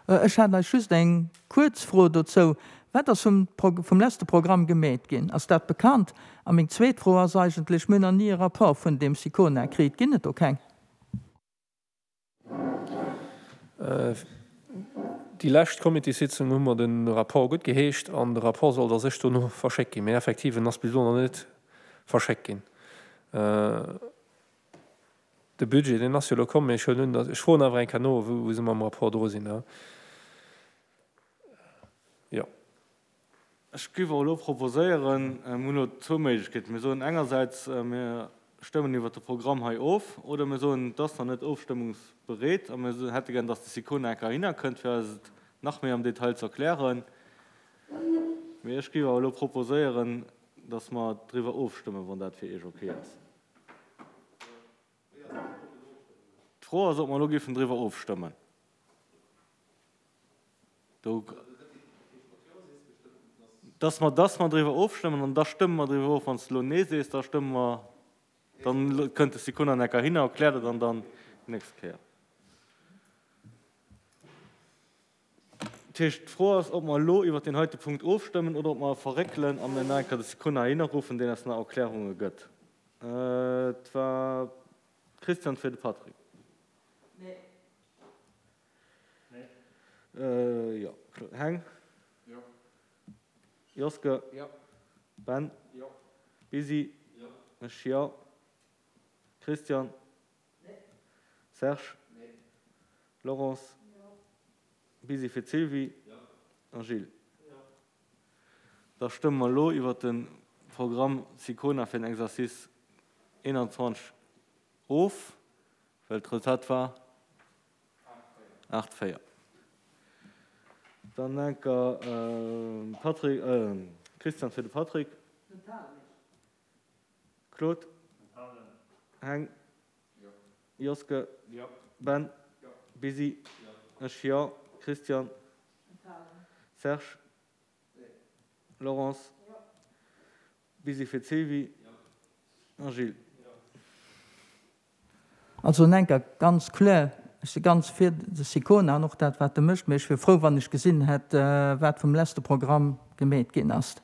Ech hat eis just eng kuerz Fro dozou, Wat ass vum vum leschte Programm gemeet ginn? Ass dat bekannt? A meng zweet Fro ass eigentlech, Mir hunn nach ni e Rapport vun deem SICONA kritt. Ginn et do keng? Déi lescht Comitéssitzung hu mer de Rapport guttgeheescht an de Rapport sollt a sech dono verschéckt ginn. Mee effektiv, en ass bis elo nach net verschéckt ginn. De Budget, deen ass jo elo komm, mee ech huelen un, datt, ech froen awer eng Kéier no, wou se mam Rapport dru sinn. Jo. Ech géif och elo proposéieren, mir hunn elo zwou Méiglechkeeten, Mir soen engersäits, mir stëmmen iwwert de Programm hei of, oder mir soen, et ass nach net ofstëmmungsbereet a mir hätte gär, dass de Sicona enk heihinner kënnt, fir eis et nach méi am Detail ze erklären. Mee ech géif awer elo proposéieren, dass mer driwwer ofstëmmen, wann dat fir Iech ok ass. D'Fro ass, ob mer elo géifen driwwer ofstëmmen. Do, dass mer, dass mer driwwer ofstëmmen an da stëmme mer driwwer of. Wann s de elo Nee sees, da stëmme mer, dann kënnt de Sikonanek heihinner, erkläert et an dann déi nächst Kéier. Dat heescht, d'Fro ass, ob mer elo iwwert deen heite Punkt ofstëmmen oder ob mer e verréckelen a mir nach eng Kéier de Sicona heihinner ruffen, deen eis nach Erklärunge gëtt. Et war Christian fir de Patrick. Nee. Jo. Heng? Jo. Joske? Jo. Ben? Jo. Busy? Jo. Ech jo. Christian? Nee. Serge? Nee. Laurence? Jo. Busy fir d'Sylvie? Jo. A Gilles? Jo. Da stëmme mer elo iwwert de Programm SICONA fir den Exercice 21 of, well d'Resultat war 8, 4. Dann enker Patrick, Christian fir de Patrick. Claude. Heng. Joske. Ben. Busy. Ech jo. Christian. Serge. Laurence. Busy fir d'Sylvie. A Gilles. Also Nenker, ganz kloer, ech si ganz fir de Sicona an och dat wat e mécht, mee ech wier frou wann ech gesinn hätt wat vum leschte Programm gemeet ginn ass.